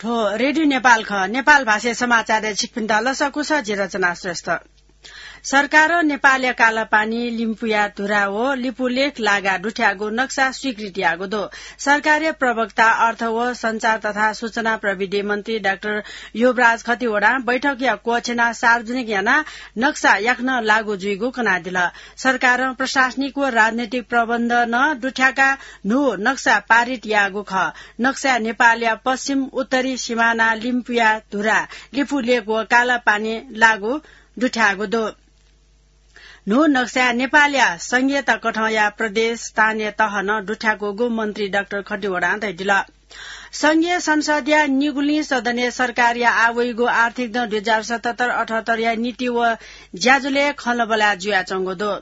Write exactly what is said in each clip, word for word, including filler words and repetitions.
थ्व रेडियो नेपाल खः। नेपाल भाषाय् समाचारय् छिकपिन्त लसकुस, जि रचना श्रेष्ठ। सरकारं नेपालया कालापानी, लिम्पुया धुरा व लिपुलेख लागाः दुथ्याःगु नक्सा स्वीकृति याःगु दु। सरकारया प्रवक्ता अर्थ व सञ्चार तथा सूचना प्रविधि मन्त्री डाक्टर युवराज खतिवडां बैठकया क्वःछिनाः सार्वजनिक यानाः नक्सा याकनं लागू जुइगु कनादिल। सरकारं प्रशासनिक व राजनैतिक प्रबन्ध नं दुथ्याकाः न्हू नक्सा पारित याःगु खः। नक्साय् नेपालया पश्चिम, उत्तरी सिमाना लिम्पुया धुरा, लिपुलेख व कालापानी लागू दुथ्याःगु दु। न्हू नक्साय् नेपालया संघीयता कथंया प्रदेश, स्थानीय तह नं दुथ्याकूगु मन्त्री डाक्टर खतिवडां धयादिल। संघीय संसदया निगुलिं सदनय् सरकारया आः वइगु आर्थिक दँ दुई हजार सतहत्तर अठहत्तरया नीति व ज्याझ्वलय् खँल्हाबल्हा जुयाच्वंगु दु।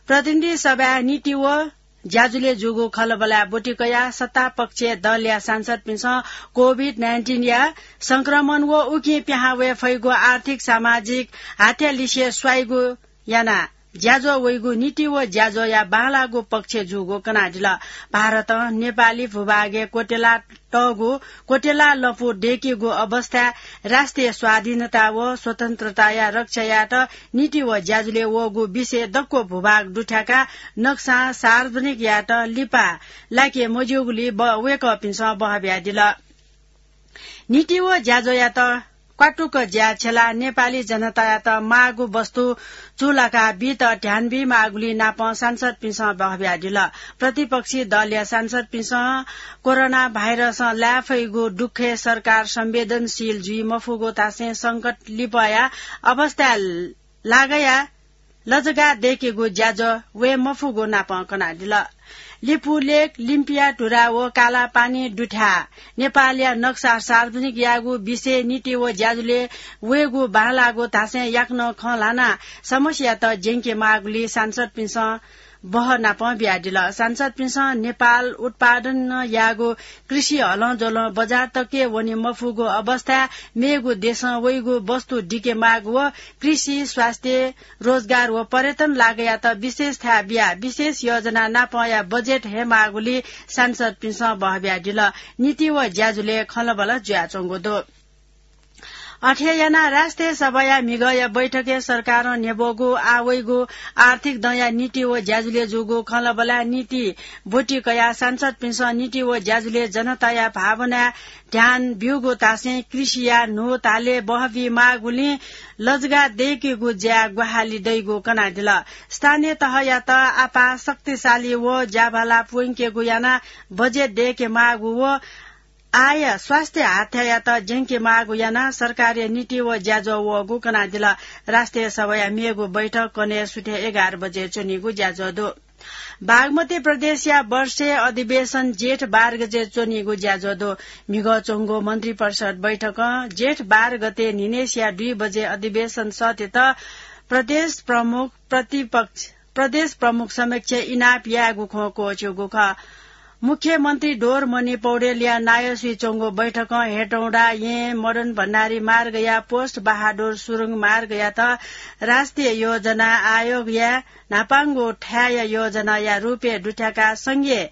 प्रतिनिधि सभाय् नीति व ज्याझ्वलय् जूगु खँल्हाबल्हाय् ब्वति कयाः सत्तापक्षया दलया सांसदपिन्सं कोभिड नाइन्टिनया संक्रमण व उकिं पिहां वये फइगु आर्थिक सामाजिक हात्यालिसे स्वाइगु यानाः ज्याझ्वः वइगु नीति व ज्याझ्वःया बांलाःगु पक्ष जूगु कनादिल। भारतं नेपाली भूभागय् क्वत्यला तःगु क्वत्यला लँपु दय्केगु अवस्थाय् राष्ट्रिय स्वाधीनता व स्वतन्त्रताया रक्षा यायेत नीति व ज्याझ्वलय् वःगु विषय दक्व भूभाग दुथ्याकाः नक्सां सार्वजनिक यायेत लिपा लाके मज्यूगुलिं ब-, वय्कःपिन्सं बहः बियादिल। नीति व ज्याझ्वःयात क्वातुक ज्या छ्यलाः नेपाली जनतायात माःगु वस्तु चूलाकाः बीत ध्यान बीमाःगुलिं नापं सांसदपिन्सं बहः बियादिल। प्रतिपक्षी दलया सांसदपिन्सं कोरोना भाइरसं लाये फइगु दुःखय् सरकार संवेदनशील जुइ मफुगु धासें संकट लिपया अवस्थाय् लागाया लजगाः दय्केगु ज्याझ्वः वये मफुगु नापं कनादिल। लिपुलेख, लिम्पुया धुरा व कालापानी दुथ्याः नेपालया नक्सा सार्वजनिक याःगु विषय नीति व ज्याझ्वलय् वयेगु बांलाःगु धासें याकनं खँ ल्हानाः समस्यायात ज्यंके माःगुलिं सांसदपिन्सं बहः नापं बियादिल। सांसदपिन्सं नेपाल उत्पादन याःगु कृषि हलंज्वलं बजार तकय् वने मफुगु अवस्थाय् मेगु देशं वइगु वस्तु दिके माःगु व कृषि, स्वास्थ्य, रोजगार व पर्यटन लागयात विशेष थाय् बियाः विशेष योजना नापंया बजेट हयेमाःगुलिं सांसदपिन्सं बहः बियादिल। नीति व ज्याझ्वलय् खँल्हाबल्हा जुयाच्वंगु दु। अथे यानाः राष्ट्रिय सभाया म्हिगःया बैठकय् सरकारं न्ह्यब्वःगु आः वइगु आर्थिक दँया नीति व ज्याझ्वलय् जूगु खँल्हाबल्हाय् नीति ब्वति कयाः सांसदपिन्सं नीति व ज्याझ्वलय् जनताया भावनाय् ध्यान ब्यूगु धासें कृषिया न्हू तालय् बहः बीमाःगुलिं लजगाः दय्केगु ज्याय् ग्वाहालि दइगु कनादिल। स्थानीय तहयात आपाः शक्तिशाली व ज्याभाला प्वंकेगु यानाः बजेट दय्के माःगु व आय स्वास्थ्य हात्यायात ज्यंके माःगु यानाः सरकारया नीति व ज्याझ्वः वःगु कनादिल। राष्ट्रिय सभाया मेगु बैठक कन्हय् सुथय् एघार बजे च्वनीगु ज्याझ्वः दु। बागमती प्रदेशया वर्षे अधिवेशन जेठ बाह्र गते च्वनीगु ज्याझ्वः दु। म्हिगः च्वंगु मन्त्रिपरिषद बैठकं जेठ बाह्र गते न्हिनय्सिया दुई बजे अधिवेशन सःतेत प्रदेश प्रमुख, प्रतिपक्ष, प्रदेश प्रमुख समक्ष इनाप यायेगु खँ क्वःछ्यूगु खः। मुख्यमन्त्री डोरमणि पौडेलया नायःसुइ च्वंगु बैठकं हेटौंडा येँ मदन भण्डारी मार्गया पोस्ट बहादुर सुरुङ मार्गयात राष्ट्रिय योजना आयोगया न्हापांगु थाय्‌या योजनाया रूपय् दुथ्याकाः संघीय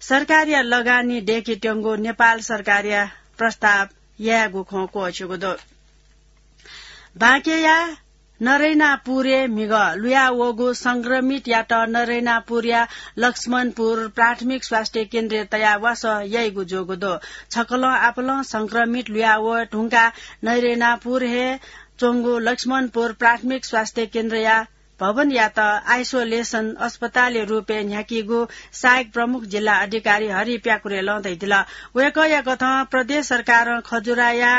सरकारया लगानी दय्केत्यंगु नेपाल सरकारया प्रस्ताव यायेगु खँ क्वःछ्यूगु दु। बाँकेया नरैनापुरय् म्हिगः लुया वःगु संक्रमितयात नरैनापुरया लक्ष्मणपुर प्राथमिक स्वास्थ्य केन्द्रय् तयाः वासः याइगु जूगु दु। छकलं आपालं संक्रमित लुया वये धुंकाः नरैनापुर हे च्वंगु लक्ष्मणपुर प्राथमिक स्वास्थ्य केन्द्रया भवनयात आइसोलेसन अस्पतालया रूपय् न्ह्याकीगु सहायक प्रमुख जिल्ला अधिकारी हरि प्याकुरेलं धयादिल। वय्कःया कथं प्रदेश सरकारं खजुराया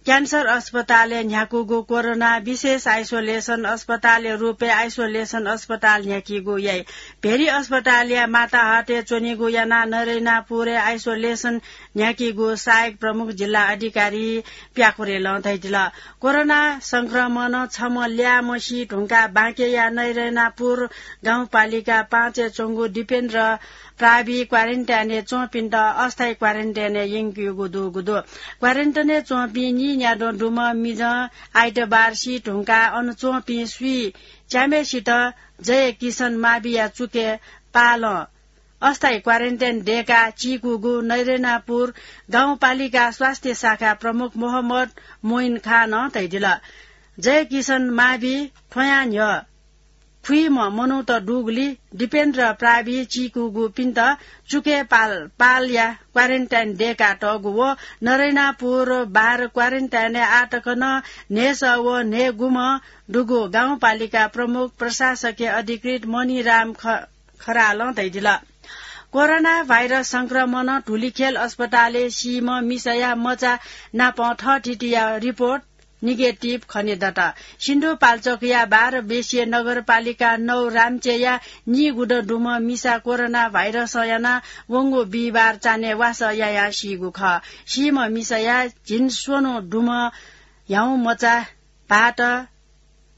क्यान्सर अस्पतालय् न्ह्याकूगु कोरोना विशेष आइसोलेसन अस्पतालया रूपय् आइसोलेसन अस्पताल न्ह्याकीगु याइ। भेरी अस्पतालया माताहतय् च्वनीगु यानाः नरैनापुरय् आइसोलेसन न्ह्याकीगु सहायक प्रमुख जिल्ला अधिकारी प्याकुरेलं धयादिल। कोरोना संक्रमणं छम्ह ल्याःम्ह सी धुंकाः बाँकेया नरैनापुर गाउँपालिका पाँचय् च्वंगु दिपेन्द्र प्रावि क्वारेन्टाइनय् च्वंपिन्त अस्थायी क्वारेन्टाइनय् यंकेगु दुगु दु। क्वारेन्टाइनय् च्वंपिं नीन्याद्वः दुम्ह मिजं आइतबार सी धुंकाः अन च्वंपिं स्वीच्याम्हय्सित जयकिशन माविया चुकय् पालं अस्थायी क्वारेन्टाइन दय्काः चीकूगु नरेनापुर गाउँपालिका स्वास्थ्य शाखा प्रमुख मोहम्मद मोइन खानं धयादिल। जयकिशन मावि थ्वयां न्ह्यः खुइम्ह मनूत दुगुलिं दिपेन्द्र प्रावि चीकूगुपिन्त चुकय् पाल, पालया क्वारेन्टाइन दय्कातःगु व नरेनापुर बाह्र क्वारेन्टाइनय् आःतक नं न्हय्सः व न्हय्गुम्ह दुगु गाउँपालिका प्रमुख प्रशासकीय अधिकृत मणिराम ख-, खरालं धयादिल। कोरोना भाइरस संक्रमणं धुलिखेल अस्पतालय् सीम्ह मिसाया मचा नाप थःथितिया रिपोर्ट निगेटिभ खनेदत। सिन्धुपाल्चोकया बाह्र बेसिया नगरपालिका नौ रामचेया नीगुदँ दुम्ह मिसा कोरोना भाइरसं यानाः वंगु बिहिबार चान्हय् वासः यायाः सीगु खः। सीम्ह मिसाया झिंस्वन्हु दुम्ह ह्याउँमचा, भाःत,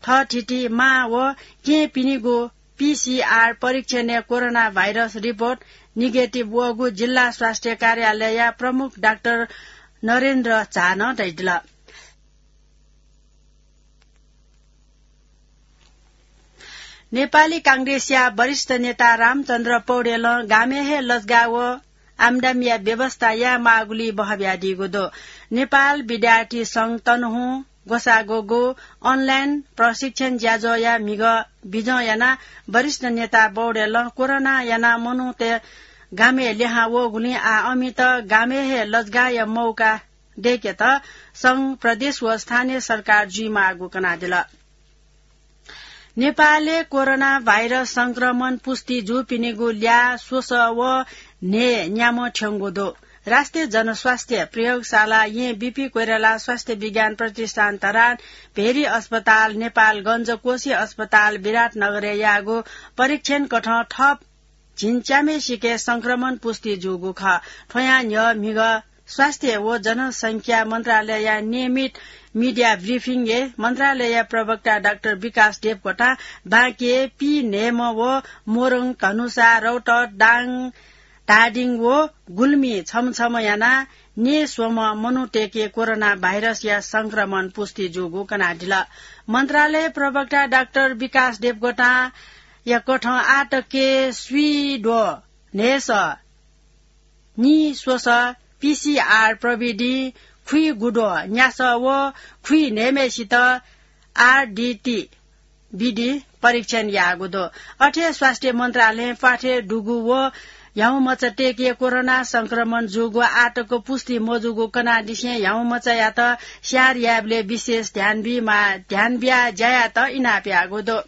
थःथिति, मां व केहेँपिनिगु पीसीआर परीक्षणय् कोरोना भाइरस रिपोर्ट निगेटिभ वःगु जिल्ला स्वास्थ्य कार्यालयया प्रमुख डाक्टर नरेन्द्र झानं धयादिल। नेपाली कांग्रेसया वरिष्ठ नेता रामचन्द्र पौडेलं गामय् हे लजगाः व आम्दामीया व्यवस्था यायेमाःगुलिइ बहः बियादीगु दु। नेपाल विद्यार्थी संघ तनहुं ग्वसाः ग्वःगु अनलाइन प्रशिक्षण ज्याझ्वःया म्हिगः बिजं यानाः वरिष्ठ नेता पौडेलं कोरोना यानाः मनूत गामय् लिहां वःगुलिं आः अमित गामय् हे लजगाःया मौका दय्केत संघ, प्रदेश व स्थानीय सरकार जुइमाःगु कनादिल। नेपालय् कोरोना भाइरस संक्रमण पुष्टि जूपिनिगु ल्याः स्वसः व न्हय् न्याम्ह थ्यंगु दु। राष्ट्रिय जनस्वास्थ्य प्रयोगशाला येँ बीपी कोइराला स्वास्थ्य विज्ञान प्रतिष्ठान धरान, भेरी अस्पताल, नेपालगञ्ज कोशी अस्पताल, विराटनगरय् याःगु परीक्षण कथं थप झिंच्याम्हेसिके संक्रमण पुष्टि जूगु खः। थ्वयां न्ह्यः म्हिगः स्वास्थ्य व जनसंख्या मन्त्रालयया नियमित मिडिया ब्रिफिङय् मन्त्रालयया प्रवक्ता डाक्टर विकास देवकोटां बाँके, पीन्हय्म्ह व मोरङ, धनुषा, रौतहट, दाङ, धादिङ व गुल्मी छम्ह छम्ह यानाः न्हय्स्वम्ह मनूतय्के कोरोना भाइरसया संक्रमण पुष्टि जूगु कनादिल। मन्त्रालय प्रवक्ता डाक्टर विकास देवकोटांया कथं आःतक स्वीद्वः न्हय्सः, नीस्वसः पीसीआर प्रविधिं खुइगुद्वः न्यासः व खुइन्हय्म्हेसित आरडीटी विधि परीक्षण याःगु दु। अथे हे स्वास्थ्य मन्त्रालयं प्वाथय् दुगु व ह्याउँमचातय्के कोरोना संक्रमण जूगु आःतक पुष्टि मजूगु कनादिसें ह्याउँमचायात स्याहार यायेबलय् विशेष ध्यान बीमाः, ध्यान बियाः ज्या यायेत इनाप याःगु दु।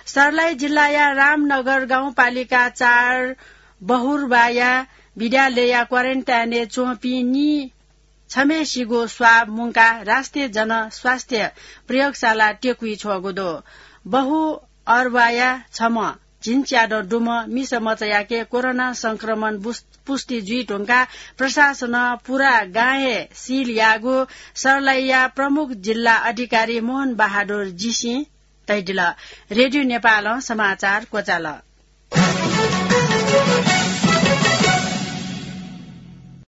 सर्लाही जिल्लाया रामनगर गाउँपालिका चार बहुर्वाया विद्यालयया क्वारेन्टाइनय् च्वंपिं नी छम्हेसिगु स्वाब मुंकाः राष्ट्रिय जनस्वास्थ्य प्रयोगशाला त्यकुइ छ्वःगु दु। बहुअर्वाया छम्ह झिंच्यादँ दुम्ह मिसा मचायाके कोरोना संक्रमण बुस-, पुष्टि जुइ धुंकाः प्रशासनं पुरा गां हे सिल याःगु सर्लाहीया प्रमुख जिल्ला अधिकारी मोहन बहादुर जीसिं धयादिल। रेडियो नेपालं समाचार क्वचाल।